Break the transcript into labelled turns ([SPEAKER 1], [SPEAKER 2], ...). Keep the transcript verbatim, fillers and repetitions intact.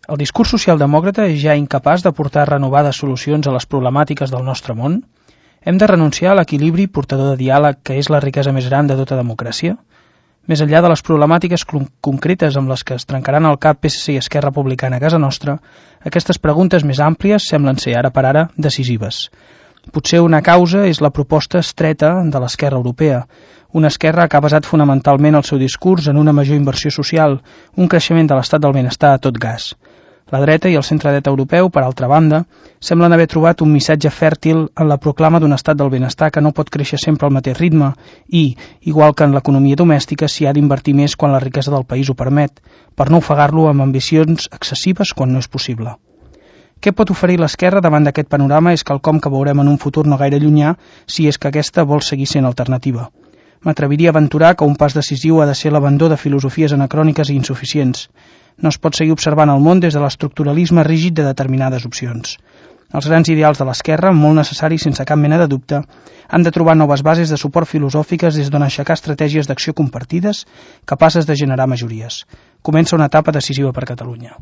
[SPEAKER 1] El discurs socialdemòcrata és ja incapaç d'aportar renovades solucions a les problemàtiques del nostre món? Hem de renunciar a l'equilibri portador de diàleg que és la riquesa més gran de tota democràcia? Més enllà de les problemàtiques concretes amb les que es trencaran el cap P S C i Esquerra Republicana a casa nostra, aquestes preguntes més àmplies semblen ser, ara per ara, decisives. Potser una causa és la proposta estreta de l'esquerra europea, una esquerra que ha basat fonamentalment el seu discurs en una major inversió social, un creixement de l'estat del benestar a tot gas. La dreta i el centre-dreta europeu, per altra banda, semblen haver trobat un missatge fèrtil en la proclama d'un estat del benestar que no pot créixer sempre al mateix ritme i, igual que en l'economia domèstica, s'hi ha d'invertir més quan la riquesa del país ho permet, per no ofegar-lo amb ambicions excessives quan no és possible. Què pot oferir l'esquerra davant d'aquest panorama és quelcom que veurem en un futur no gaire llunyà si és que aquesta vol seguir sent alternativa. M'atreviria a aventurar que un pas decisiu ha de ser l'abandó de filosofies anacròniques i insuficients. No es pot seguir observant el món des de l'estructuralisme rígid de determinades opcions. Els grans ideals de l'esquerra, molt necessaris sense cap mena de dubte, han de trobar noves bases de suport filosòfiques des d'on aixecar estratègies d'acció compartides capaces de generar majories. Comença una etapa decisiva per Catalunya.